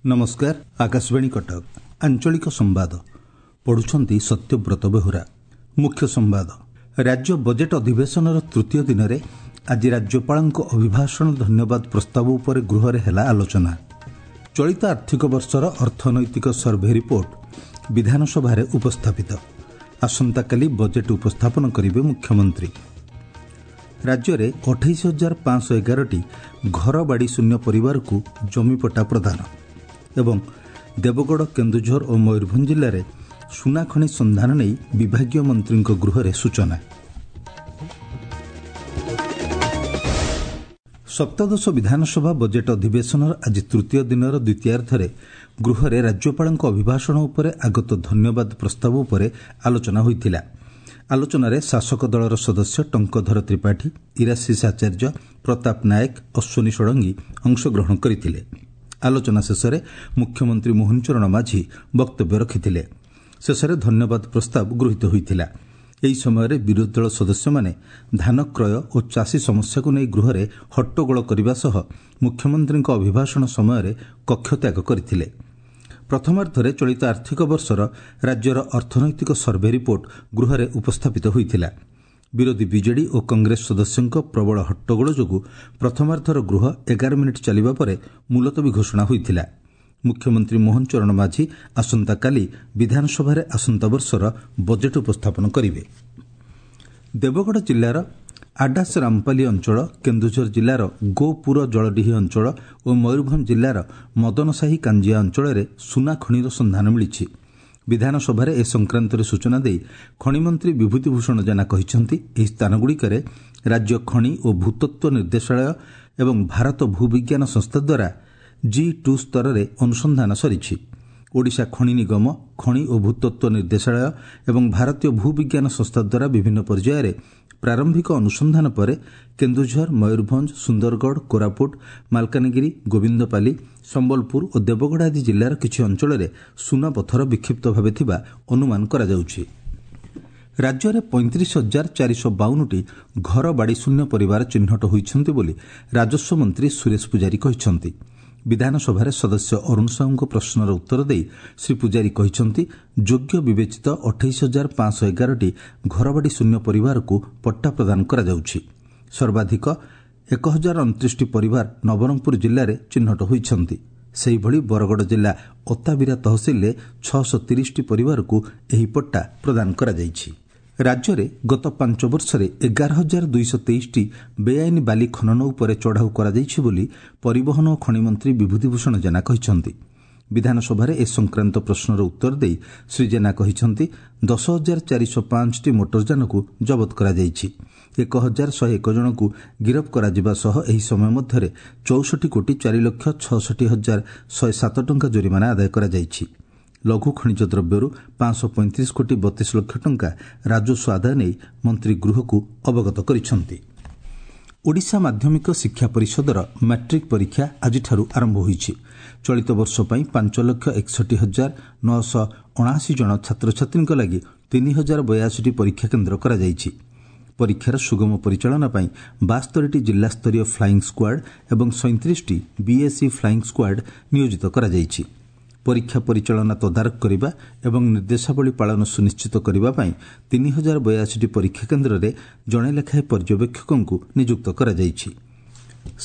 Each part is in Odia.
ନମସ୍କାର, ଆକାଶବାଣୀ କଟକ, ଆଞ୍ଚଳିକ ସମ୍ବାଦ ପଢୁଛନ୍ତି ସତ୍ୟବ୍ରତ ବେହୁରା। ମୁଖ୍ୟ ସମ୍ବାଦ। ରାଜ୍ୟ ବଜେଟ୍ ଅଧିବେଶନର ତୃତୀୟ ଦିନରେ ଆଜି ରାଜ୍ୟପାଳଙ୍କ ଅଭିଭାଷଣ ଧନ୍ୟବାଦ ପ୍ରସ୍ତାବ ଉପରେ ଗୃହରେ ହେଲା ଆଲୋଚନା। ଚଳିତ ଆର୍ଥିକ ବର୍ଷର ଅର୍ଥନୈତିକ ସର୍ଭେ ରିପୋର୍ଟ ବିଧାନସଭାରେ ଉପସ୍ଥାପିତ। ଆସନ୍ତାକାଲି ବଜେଟ୍ ଉପସ୍ଥାପନ କରିବେ ମୁଖ୍ୟମନ୍ତ୍ରୀ। ରାଜ୍ୟରେ 28,511ଟି ଘରବାଡ଼ି ଶୂନ୍ୟ ପରିବାରକୁ ଜମିପଟ୍ଟା ପ୍ରଦାନ ଏବଂ ଦେବଗଡ଼, କେନ୍ଦୁଝର ଓ ମୟୂରଭଞ୍ଜ ଜିଲ୍ଲାରେ ସୁନାଖଣି ସନ୍ଧାନ ନେଇ ବିଭାଗୀୟ ମନ୍ତ୍ରୀଙ୍କ ଗୃହରେ ସୂଚନା। ସପ୍ତଦଶ ବିଧାନସଭା ବଜେଟ୍ ଅଧିବେଶନର ଆଜି ତୃତୀୟ ଦିନର ଦ୍ୱିତୀୟାର୍ଦ୍ଧରେ ଗୃହରେ ରାଜ୍ୟପାଳଙ୍କ ଅଭିଭାଷଣ ଉପରେ ଆଗତ ଧନ୍ୟବାଦ ପ୍ରସ୍ତାବ ଉପରେ ଆଲୋଚନା ହୋଇଥିଲା। ଆଲୋଚନାରେ ଶାସକ ଦଳର ସଦସ୍ୟ ଟଙ୍କଧର ତ୍ରିପାଠୀ, ଇରାଶିଷ ଆଚାର୍ଯ୍ୟ, ପ୍ରତାପ ନାୟକ, ଅଶ୍ୱିନୀ ଷଡ଼ଙ୍ଗୀ ଅଂଶଗ୍ରହଣ କରିଥିଲେ। ଆଲୋଚନା ଶେଷରେ ମୁଖ୍ୟମନ୍ତ୍ରୀ ମୋହନ ଚରଣ ମାଝୀ ବକ୍ତବ୍ୟ ରଖିଥିଲେ। ଶେଷରେ ଧନ୍ୟବାଦ ପ୍ରସ୍ତାବ ଗୃହୀତ ହୋଇଥିଲା। ଏହି ସମୟରେ ବିରୋଧୀ ଦଳ ସଦସ୍ୟମାନେ ଧାନ କ୍ରୟ ଓ ଚାଷୀ ସମସ୍ୟାକୁ ନେଇ ଗୃହରେ ହଟ୍ଟଗୋଳ କରିବା ସହ ମୁଖ୍ୟମନ୍ତ୍ରୀଙ୍କ ଅଭିଭାଷଣ ସମୟରେ କକ୍ଷତ୍ୟାଗ କରିଥିଲେ। ପ୍ରଥମାର୍ଦ୍ଧରେ ଚଳିତ ଆର୍ଥିକ ବର୍ଷର ରାଜ୍ୟର ଅର୍ଥନୈତିକ ସର୍ଭେ ରିପୋର୍ଟ ଗୃହରେ ଉପସ୍ଥାପିତ ହୋଇଥିଲା। ବିରୋଧୀ ବିଜେଡି ଓ କଂଗ୍ରେସ ସଦସ୍ୟଙ୍କ ପ୍ରବଳ ହଟ୍ଟଗୋଳ ଯୋଗୁଁ ପ୍ରଥମାର୍ଦ୍ଧର ଗୃହ 11 ମିନିଟ୍ ଚାଲିବା ପରେ ମୁଲତବୀ ଘୋଷଣା ହୋଇଥିଲା। ମୁଖ୍ୟମନ୍ତ୍ରୀ ମୋହନ ଚରଣ ମାଝୀ ଆସନ୍ତାକାଲି ବିଧାନସଭାରେ ଆସନ୍ତା ବର୍ଷର ବଜେଟ୍ ଉପସ୍ଥାପନ କରିବେ। ଦେବଗଡ଼ ଜିଲ୍ଲାର ଆଡାସ ରାମପାଲି ଅଞ୍ଚଳ, କେନ୍ଦୁଝର ଜିଲ୍ଲାର ଗୋପୁର ଜଳଡିହି ଅଞ୍ଚଳ ଓ ମୟୂରଭଞ୍ଜ ଜିଲ୍ଲାର ମଦନସାହି କାଞ୍ଜିଆ ଅଞ୍ଚଳରେ ସୁନା ଖଣିର ସନ୍ଧାନ ମିଳିଛି। ବିଧାନସଭାରେ ଏ ସଂକ୍ରାନ୍ତରେ ସୂଚନା ଦେଇ ଖଣିମନ୍ତ୍ରୀ ବିଭୂତିଭୂଷଣ ଜେନା କହିଛନ୍ତି, ଏହି ସ୍ଥାନଗୁଡ଼ିକରେ ରାଜ୍ୟ ଖଣି ଓ ଭୂତତ୍ତ୍ୱ ନିର୍ଦ୍ଦେଶାଳୟ ଏବଂ ଭାରତ ଭୂବିଜ୍ଞାନ ସଂସ୍ଥା ଦ୍ୱାରା ଜି ଟୁ ସ୍ତରରେ ଅନୁସନ୍ଧାନ ସରିଛି। ଓଡ଼ିଶା ଖଣି ନିଗମ, ଖଣି ଓ ଭୂତତ୍ତ୍ୱ ନିର୍ଦ୍ଦେଶାଳୟ ଏବଂ ଭାରତୀୟ ଭୂବିଜ୍ଞାନ ସଂସ୍ଥା ଦ୍ୱାରା ବିଭିନ୍ନ ପର୍ଯ୍ୟାୟରେ ପ୍ରାରମ୍ଭିକ ଅନୁସନ୍ଧାନ ପରେ କେନ୍ଦୁଝର, ମୟୂରଭଞ୍ଜ, ସୁନ୍ଦରଗଡ଼, କୋରାପୁଟ, ମାଲକାନଗିରି, ଗୋବିନ୍ଦପାଲି, ସମ୍ବଲପୁର ଓ ଦେବଗଡ଼ ଆଦି ଜିଲ୍ଲାର କିଛି ଅଞ୍ଚଳରେ ସୁନାପଥର ବିକ୍ଷିପ୍ତ ଭାବେ ଥିବା ଅନୁମାନ କରାଯାଉଛି। ରାଜ୍ୟରେ 35,452ଟି ଘର ବାଡ଼ି ଶୂନ୍ୟ ପରିବାର ଚିହ୍ନଟ ହୋଇଛନ୍ତି ବୋଲି ରାଜସ୍ୱ ମନ୍ତ୍ରୀ ସୁରେଶ ପୂଜାରୀ କହିଛନ୍ତି। ବିଧାନସଭାରେ ସଦସ୍ୟ ଅରୁଣ ସାହୁଙ୍କ ପ୍ରଶ୍ନର ଉତ୍ତର ଦେଇ ଶ୍ରୀ ପୂଜାରୀ କହିଛନ୍ତି, ଯୋଗ୍ୟ ବିବେଚିତ 28,511ଟି ଘରବାଡ଼ି ଶୂନ୍ୟ ପରିବାରକୁ ପଟ୍ଟା ପ୍ରଦାନ କରାଯାଉଛି। ସର୍ବାଧିକ 1,029ଟି ପରିବାର ନବରଙ୍ଗପୁର ଜିଲ୍ଲାରେ ଚିହ୍ନଟ ହୋଇଛନ୍ତି। ସେହିଭଳି ବରଗଡ଼ ଜିଲ୍ଲା ଅତାବିରା ତହସିଲରେ 630ଟି ପରିବାରକୁ ଏହି ପଟ୍ଟା ପ୍ରଦାନ କରାଯାଇଛି। ରାଜ୍ୟରେ ଗତ 5 ବର୍ଷରେ 11,223ଟି ବେଆଇନ ବାଲି ଖନନ ଉପରେ ଚଢ଼ାଉ କରାଯାଇଛି ବୋଲି ପରିବହନ ଓ ଖଣିମନ୍ତ୍ରୀ ବିଭୂତିଭୂଷଣ ଜେନା କହିଛନ୍ତି। ବିଧାନସଭାରେ ଏ ସଂକ୍ରାନ୍ତ ପ୍ରଶ୍ନର ଉତ୍ତର ଦେଇ ଶ୍ରୀ ଜେନା କହିଛନ୍ତି, 10,405ଟି ମୋଟରଯାନକୁ ଜବତ କରାଯାଇଛି। 1,101 ଜଣଙ୍କୁ ଗିରଫ କରାଯିବା ସହ ଏହି ସମୟ ମଧ୍ୟରେ 64 କୋଟି 4 ଲକ୍ଷ 66,107 ଟଙ୍କା ଜୋରିମାନା ଆଦାୟ କରାଯାଇଛି। ଲଘୁ ଖଣିଜ ଦ୍ରବ୍ୟରୁ 535 କୋଟି 32 ଲକ୍ଷ ଟଙ୍କା ରାଜସ୍ୱ ଆଦାୟ ନେଇ ମନ୍ତ୍ରୀ ଗୃହକୁ ଅବଗତ କରିଛନ୍ତି। ଓଡ଼ିଶା ମାଧ୍ୟମିକ ଶିକ୍ଷା ପରିଷଦର ମାଟ୍ରିକ୍ ପରୀକ୍ଷା ଆଜିଠାରୁ ଆରମ୍ଭ ହୋଇଛି। ଚଳିତ ବର୍ଷ ପାଇଁ 5,61,979 ଜଣ ଛାତ୍ରଛାତ୍ରୀଙ୍କ ଲାଗି 3,082ଟି ପରୀକ୍ଷା କେନ୍ଦ୍ର କରାଯାଇଛି। ପରୀକ୍ଷାର ସୁଗମ ପରିଚାଳନା ପାଇଁ 72ଟି ଜିଲ୍ଲାସ୍ତରୀୟ ଫ୍ଲାଇଂ ସ୍କ୍ୱାଡ୍ ଏବଂ 37ଟି ବିଏସ୍ଇ ଫ୍ଲାଇଂ ସ୍କ୍ୱାଡ୍ ନିୟୋଜିତ କରାଯାଇଛି। ପରୀକ୍ଷା ପରିଚାଳନା ତଦାରଖ କରିବା ଏବଂ ନିର୍ଦ୍ଦେଶାବଳୀ ପାଳନ ସୁନିଶ୍ଚିତ କରିବା ପାଇଁ 3,082ଟି ପରୀକ୍ଷା କେନ୍ଦ୍ରରେ ଜଣେ ଲେଖାଏଁ ପର୍ଯ୍ୟବେକ୍ଷକଙ୍କୁ ନିଯୁକ୍ତ କରାଯାଇଛି।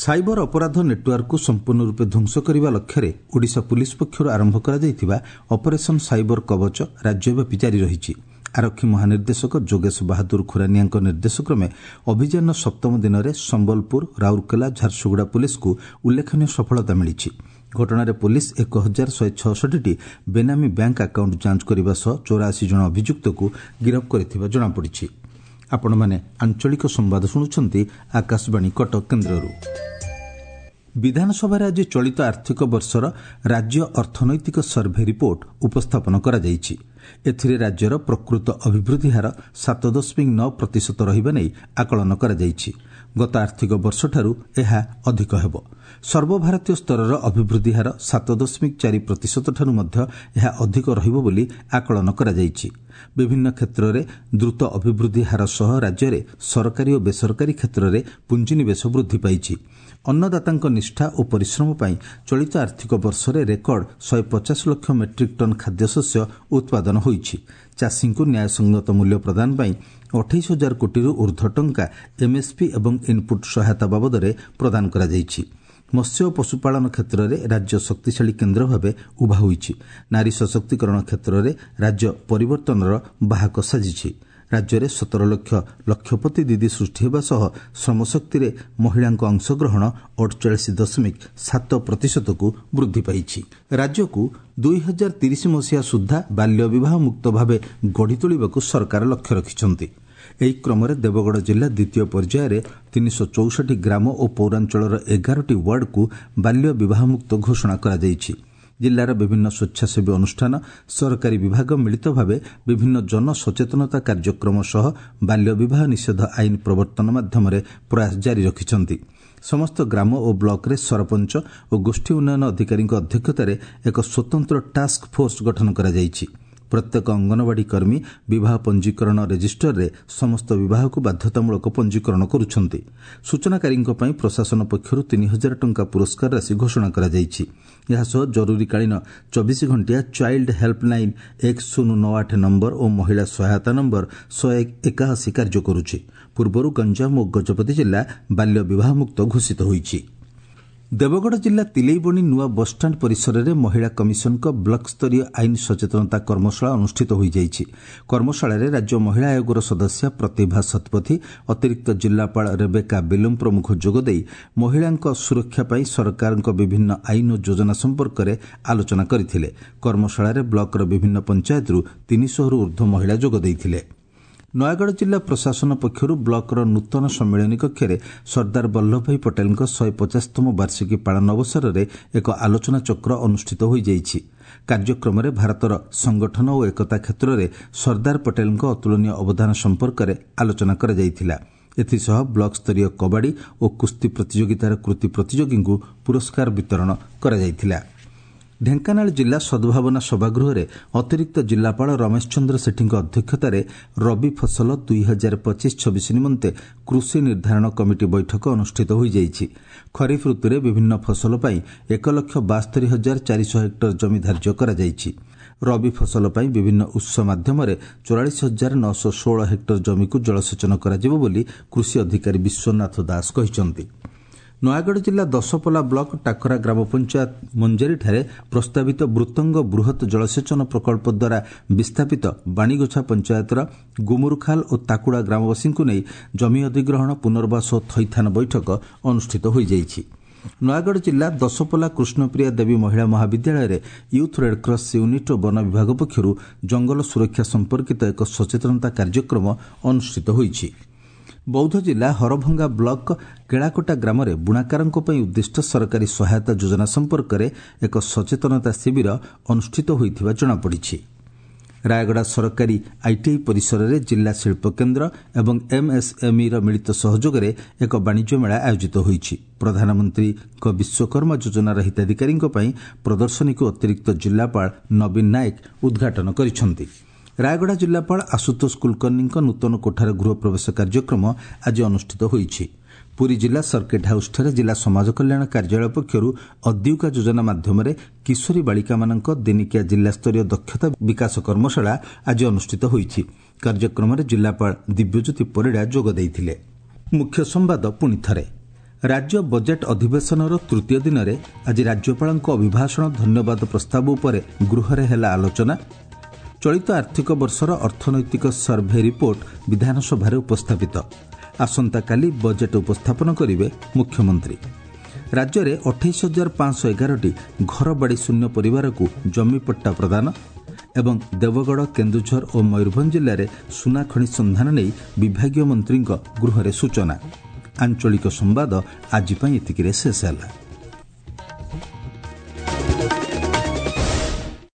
ସାଇବର ଅପରାଧ ନେଟୱାର୍କକୁ ସମ୍ପୂର୍ଣ୍ଣ ରୂପେ ଧ୍ୱଂସ କରିବା ଲକ୍ଷ୍ୟରେ ଓଡ଼ିଶା ପୁଲିସ୍ ପକ୍ଷରୁ ଆରମ୍ଭ କରାଯାଇଥିବା ଅପରେସନ୍ ସାଇବର କବଚ ରାଜ୍ୟବ୍ୟାପୀ ଜାରି ରହିଛି। ଆରକ୍ଷୀ ମହାନିର୍ଦ୍ଦେଶକ ଯୋଗେଶ ବାହାଦୁର ଖୁରାନିଆଙ୍କ ନିର୍ଦ୍ଦେଶକ୍ରମେ ଅଭିଯାନର ସପ୍ତମ ଦିନରେ ସମ୍ବଲପୁର, ରାଉରକେଲା, ଝାରସୁଗୁଡ଼ା ପୁଲିସ୍କୁ ଉଲ୍ଲେଖନୀୟ ସଫଳତା ମିଳିଛି। ଘଟଣାରେ ପୁଲିସ୍ 1,166ଟି ବେନାମୀ ବ୍ୟାଙ୍କ ଆକାଉଣ୍ଟ ଯାଞ୍ଚ କରିବା ସହ 84 ଜଣ ଅଭିଯୁକ୍ତକୁ ଗିରଫ କରିଥିବା ଜଣାପଡ଼ିଛି। ଆପଣମାନେ ଆଞ୍ଚଳିକ ସମ୍ବାଦ ଶୁଣୁଛନ୍ତି ଆକାଶବାଣୀ କଟକ କେନ୍ଦ୍ରରୁ। ବିଧାନସଭାରେ ଆଜି ଚଳିତ ଆର୍ଥିକ ବର୍ଷର ରାଜ୍ୟ ଅର୍ଥନୈତିକ ସର୍ଭେ ରିପୋର୍ଟ ଉପସ୍ଥାପନ କରାଯାଇଛି। ଏଥିରେ ରାଜ୍ୟର ପ୍ରକୃତ ଅଭିବୃଦ୍ଧି ହାର 7.9% ରହିବା ନେଇ ଆକଳନ କରାଯାଇଛି। ଗତ ଆର୍ଥିକ ବର୍ଷଠାରୁ ଏହା ଅଧିକ ହେବ। ସର୍ବଭାରତୀୟ ସ୍ତରର ଅଭିବୃଦ୍ଧି ହାର 7.4% ଠାରୁ ମଧ୍ୟ ଏହା ଅଧିକ ରହିବ ବୋଲି ଆକଳନ କରାଯାଇଛି। ବିଭିନ୍ନ କ୍ଷେତ୍ରରେ ଦ୍ରୁତ ଅଭିବୃଦ୍ଧି ହାର ସହ ରାଜ୍ୟରେ ସରକାରୀ ଓ ବେସରକାରୀ କ୍ଷେତ୍ରରେ ପୁଞ୍ଜିନିବେଶ ବୃଦ୍ଧି ପାଇଛି। ଅନ୍ନଦାତାଙ୍କ ନିଷ୍ଠା ଓ ପରିଶ୍ରମ ପାଇଁ ଚଳିତ ଆର୍ଥିକ ବର୍ଷରେ ରେକର୍ଡ 150 ଲକ୍ଷ ମେଟ୍ରିକ୍ ଟନ୍ ଖାଦ୍ୟଶସ୍ୟ ଉତ୍ପାଦନ ହୋଇଛି। ଚାଷୀଙ୍କୁ ନ୍ୟାୟସଙ୍ଗତ ମୂଲ୍ୟ ପ୍ରଦାନ ପାଇଁ 28 ହଜାର କୋଟିରୁ ଉର୍ଦ୍ଧ୍ୱ ଟଙ୍କା ଏମ୍ଏସ୍ପି ଏବଂ ଇନ୍ପୁଟ୍ ସହାୟତା ବାବଦରେ ପ୍ରଦାନ କରାଯାଇଛି। ମତ୍ସ୍ୟ ଓ ପଶୁପାଳନ କ୍ଷେତ୍ରରେ ରାଜ୍ୟ ଶକ୍ତିଶାଳୀ କେନ୍ଦ୍ର ଭାବେ ଉଭା ହୋଇଛି। ନାରୀ ସଶକ୍ତିକରଣ କ୍ଷେତ୍ରରେ ରାଜ୍ୟ ପରିବର୍ତ୍ତନର ବାହକ ସାଜିଛି। ରାଜ୍ୟରେ 17 ଲକ୍ଷ ଲକ୍ଷପତି ଦିଦି ସୃଷ୍ଟି ହେବା ସହ ଶ୍ରମଶକ୍ତିରେ ମହିଳାଙ୍କ ଅଂଶଗ୍ରହଣ 48.7 ପ୍ରତିଶତକୁ ବୃଦ୍ଧି ପାଇଛି। ରାଜ୍ୟକୁ 2030 ମସିହା ସୁଦ୍ଧା ବାଲ୍ୟ ବିବାହ ମୁକ୍ତ ଭାବେ ଗଢ଼ି ତୋଳିବାକୁ ସରକାର ଲକ୍ଷ୍ୟ ରଖିଛନ୍ତି। ଏହି କ୍ରମରେ ଦେବଗଡ଼ ଜିଲ୍ଲା ଦ୍ୱିତୀୟ ପର୍ଯ୍ୟାୟରେ 364 ଗ୍ରାମ ଓ ପୌରାଞ୍ଚଳର 11ଟି ୱାର୍ଡକୁ ବାଲ୍ୟ ବିବାହମୁକ୍ତ ଘୋଷଣା କରାଯାଇଛି। ଜିଲ୍ଲାର ବିଭିନ୍ନ ସ୍ୱେଚ୍ଛାସେବୀ ଅନୁଷ୍ଠାନ, ସରକାରୀ ବିଭାଗ ମିଳିତ ଭାବେ ବିଭିନ୍ନ ଜନସଚେତନତା କାର୍ଯ୍ୟକ୍ରମ ସହ ବାଲ୍ୟ ବିବାହ ନିଷେଧ ଆଇନ ପ୍ରବର୍ତ୍ତନ ମାଧ୍ୟମରେ ପ୍ରୟାସ ଜାରି ରଖିଛନ୍ତି। ସମସ୍ତ ଗ୍ରାମ ଓ ବ୍ଲକରେ ସରପଞ୍ଚ ଓ ଗୋଷ୍ଠୀ ଉନ୍ନୟନ ଅଧିକାରୀଙ୍କ ଅଧ୍ୟକ୍ଷତାରେ ଏକ ସ୍ୱତନ୍ତ୍ର ଟାସ୍କ ଫୋର୍ସ ଗଠନ କରାଯାଇଛି। ପ୍ରତ୍ୟେକ ଅଙ୍ଗନବାଡ଼ି କର୍ମୀ ବିବାହ ପଞ୍ଜୀକରଣ ରେଜିଷ୍ଟରରେ ସମସ୍ତ ବିବାହକୁ ବାଧ୍ୟତାମୂଳକ ପଞ୍ଜୀକରଣ କରୁଛନ୍ତି। ସୂଚନାକାରୀଙ୍କ ପାଇଁ ପ୍ରଶାସନ ପକ୍ଷରୁ 3,000 ଟଙ୍କା ପୁରସ୍କାର ରାଶି ଘୋଷଣା କରାଯାଇଛି। ଏହାସହ ଜରୁରୀକାଳୀନ 24 ଘଣ୍ଟିଆ ଚାଇଲ୍ଡ ହେଲ୍ପଲାଇନ୍ 1098 ନମ୍ବର ଓ ମହିଳା ସହାୟତା ନମ୍ବର 181 କାର୍ଯ୍ୟ କରୁଛି। ପୂର୍ବରୁ ଗଞ୍ଜାମ ଓ ଗଜପତି ଜିଲ୍ଲା ବାଲ୍ୟ ବିବାହମୁକ୍ତ ଘୋଷିତ ହୋଇଛି। ଦେବଗଡ଼ ଜିଲ୍ଲା ତିଲେଇବଣି ନୂଆ ବସ୍ଷ୍ଟାଣ୍ଡ ପରିସରରେ ମହିଳା କମିଶନଙ୍କ ବ୍ଲକସ୍ତରୀୟ ଆଇନ ସଚେତନତା କର୍ମଶାଳା ଅନୁଷ୍ଠିତ ହୋଇଯାଇଛି। କର୍ମଶାଳାରେ ରାଜ୍ୟ ମହିଳା ଆୟୋଗର ସଦସ୍ୟା ପ୍ରତିଭା ଶତପଥୀ, ଅତିରିକ୍ତ ଜିଲ୍ଲାପାଳ ରେବେକା ବେଲୁମ୍ ପ୍ରମୁଖ ଯୋଗଦେଇ ମହିଳାଙ୍କ ସୁରକ୍ଷା ପାଇଁ ସରକାରଙ୍କ ବିଭିନ୍ନ ଆଇନ ଓ ଯୋଜନା ସମ୍ପର୍କରେ ଆଲୋଚନା କରିଥିଲେ। କର୍ମଶାଳାରେ ବ୍ଲକର ବିଭିନ୍ନ ପଞ୍ଚାୟତରୁ 300ରୁ ଉର୍ଦ୍ଧ୍ୱ ମହିଳା ଯୋଗ ଦେଇଥିଲେ। ନୟାଗଡ଼ ଜିଲ୍ଲା ପ୍ରଶାସନ ପକ୍ଷରୁ ବ୍ଲକର ନୂତନ ସମ୍ମିଳନୀ କକ୍ଷରେ ସର୍ଦ୍ଦାର ବଲ୍ଲଭଭାଇ ପଟେଲଙ୍କ 150ତମ ବାର୍ଷିକୀ ପାଳନ ଅବସରରେ ଏକ ଆଲୋଚନାଚକ୍ର ଅନୁଷ୍ଠିତ ହୋଇଯାଇଛି। କାର୍ଯ୍ୟକ୍ରମରେ ଭାରତର ସଂଗଠନ ଓ ଏକତା କ୍ଷେତ୍ରରେ ସର୍ଦ୍ଦାର ପଟେଲଙ୍କ ଅତୁଳନୀୟ ଅବଦାନ ସମ୍ପର୍କରେ ଆଲୋଚନା କରାଯାଇଥିଲା। ଏଥିସହ ବ୍ଲକସ୍ତରୀୟ କବାଡ଼ି ଓ କୁସ୍ତି ପ୍ରତିଯୋଗିତାର କୃତି ପ୍ରତିଯୋଗୀଙ୍କୁ ପୁରସ୍କାର ବିତରଣ କରାଯାଇଥିଲା। ଢେଙ୍କାନାଳ ଜିଲ୍ଲା ସଦ୍ଭାବନା ସଭାଗୃହରେ ଅତିରିକ୍ତ ଜିଲ୍ଲାପାଳ ରମେଶ ଚନ୍ଦ୍ର ସେଠୀଙ୍କ ଅଧ୍ୟକ୍ଷତାରେ ରବି ଫସଲ 2025-26 ନିମନ୍ତେ କୃଷି ନିର୍ଦ୍ଧାରଣ କମିଟି ବୈଠକ ଅନୁଷ୍ଠିତ ହୋଇଯାଇଛି। ଖରିଫ ଋତୁରେ ବିଭିନ୍ନ ଫସଲ ପାଇଁ 1,72,400 ହେକ୍ଟର ଜମି ଧାର୍ଯ୍ୟ କରାଯାଇଛି। ରବି ଫସଲ ପାଇଁ ବିଭିନ୍ନ ଉତ୍ସ ମାଧ୍ୟମରେ 44,916 ହେକ୍ଟର ଜମିକୁ ଜଳସେଚନ କରାଯିବ ବୋଲି କୃଷି ଅଧିକାରୀ ବିଶ୍ୱନାଥ ଦାସ କହିଛନ୍ତି। ନୟାଗଡ଼ ଜିଲ୍ଲା ଦଶପଲା ବ୍ଲକ ଟାକରା ଗ୍ରାମ ପଞ୍ଚାୟତ ମଞ୍ଜେରୀଠାରେ ପ୍ରସ୍ତାବିତ ବୃତ୍ତଙ୍ଗ ବୃହତ୍ ଜଳସେଚନ ପ୍ରକଳ୍ପ ଦ୍ୱାରା ବିସ୍ଥାପିତ ବାଣିଗୋଛା ପଞ୍ଚାୟତର ଗୁମୁରୁଖାଲ ଓ ତାକୁଡ଼ା ଗ୍ରାମବାସୀଙ୍କୁ ନେଇ ଜମି ଅଧିଗ୍ରହଣ, ପୁନର୍ବାସ ଓ ଥଇଥାନ ବୈଠକ ଅନୁଷ୍ଠିତ ହୋଇଯାଇଛି। ନୟାଗଡ଼ ଜିଲ୍ଲା ଦଶପଲା କୃଷ୍ଣପ୍ରିୟା ଦେବୀ ମହିଳା ମହାବିଦ୍ୟାଳୟରେ ୟୁଥ୍ ରେଡ୍କ୍ରସ୍ ୟୁନିଟ୍ ଓ ବନ ବିଭାଗ ପକ୍ଷରୁ ଜଙ୍ଗଲ ସୁରକ୍ଷା ସମ୍ପର୍କିତ ଏକ ସଚେତନତା କାର୍ଯ୍ୟକ୍ରମ ଅନୁଷ୍ଠିତ ହୋଇଛି। ବୌଦ୍ଧ ଜିଲ୍ଲା ହରଭଙ୍ଗା ବ୍ଲକ କେଳାକୋଟା ଗ୍ରାମରେ ବୁଣାକାରଙ୍କ ପାଇଁ ଉଦ୍ଦିଷ୍ଟ ସରକାରୀ ସହାୟତା ଯୋଜନା ସମ୍ପର୍କରେ ଏକ ସଚେତନତା ଶିବିର ଅନୁଷ୍ଠିତ ହୋଇଥିବା ଜଣାପଡ଼ିଛି। ରାୟଗଡ଼ା ସରକାରୀ ଆଇଟିଆଇ ପରିସରରେ ଜିଲ୍ଲା ଶିଳ୍ପକେନ୍ଦ୍ର ଏବଂ ଏମ୍ଏସ୍ଏମ୍ଇର ମିଳିତ ସହଯୋଗରେ ଏକ ବାଣିଜ୍ୟ ମେଳା ଆୟୋଜିତ ହୋଇଛି। ପ୍ରଧାନମନ୍ତ୍ରୀଙ୍କ ବିଶ୍ୱକର୍ମା ଯୋଜନାର ହିତାଧିକାରୀଙ୍କ ପାଇଁ ପ୍ରଦର୍ଶନୀକୁ ଅତିରିକ୍ତ ଜିଲ୍ଲାପାଳ ନବୀନ ନାୟକ ଉଦ୍ଘାଟନ କରିଛନ୍ତି। ରାୟଗଡ଼ା ଜିଲ୍ଲାପାଳ ଆଶୁତୋଷ କୁଲକର୍ଣ୍ଣୀଙ୍କ ନୂତନ କୋଠାରେ ଗୃହ ପ୍ରବେଶ କାର୍ଯ୍ୟକ୍ରମ ଆଜି ଅନୁଷ୍ଠିତ ହୋଇଛି। ପୁରୀ ଜିଲ୍ଲା ସର୍କିଟ୍ ହାଉସ୍ଠାରେ ଜିଲ୍ଲା ସମାଜ କଲ୍ୟାଣ କାର୍ଯ୍ୟାଳୟ ପକ୍ଷରୁ ଅଦ୍ୟୁକା ଯୋଜନା ମାଧ୍ୟମରେ କିଶୋରୀ ବାଳିକାମାନଙ୍କ ଦିନିକିଆ ଜିଲ୍ଲାସ୍ତରୀୟ ଦକ୍ଷତା ବିକାଶ କର୍ମଶାଳା ଆଜି ଅନୁଷ୍ଠିତ ହୋଇଛି। କାର୍ଯ୍ୟକ୍ରମରେ ଜିଲ୍ଲାପାଳ ଦିବ୍ୟଜ୍ୟୋତି ପରିଡ଼ା ଯୋଗ ଦେଇଥିଲେ। ମୁଖ୍ୟ ସମ୍ବାଦ ପୁଣି ଥରେ। ରାଜ୍ୟ ବଜେଟ୍ ଅଧିବେଶନର ତୃତୀୟ ଦିନରେ ଆଜି ରାଜ୍ୟପାଳଙ୍କ ଅଭିଭାଷଣ ଧନ୍ୟବାଦ ପ୍ରସ୍ତାବ ଉପରେ ଗୃହରେ ହେଲା ଆଲୋଚନା। ଚଳିତ ଆର୍ଥିକ ବର୍ଷର ଅର୍ଥନୈତିକ ସର୍ଭେ ରିପୋର୍ଟ ବିଧାନସଭାରେ ଉପସ୍ଥାପିତ। ଆସନ୍ତାକାଲି ବଜେଟ୍ ଉପସ୍ଥାପନ କରିବେ ମୁଖ୍ୟମନ୍ତ୍ରୀ। ରାଜ୍ୟରେ 28,511ଟି ଘରବାଡ଼ି ଶୂନ୍ୟ ପରିବାରକୁ ଜମିପଟ୍ଟା ପ୍ରଦାନ ଏବଂ ଦେବଗଡ଼, କେନ୍ଦୁଝର ଓ ମୟୂରଭଞ୍ଜ ଜିଲ୍ଲାରେ ସୁନାଖଣି ସନ୍ଧାନ ନେଇ ବିଭାଗୀୟ ମନ୍ତ୍ରୀଙ୍କ ଗୃହରେ ସୂଚନା। ଆଞ୍ଚଳିକ ସମ୍ବାଦ ଆଜି ପାଇଁ ଏତିକିରେ ଶେଷ ହେଲା।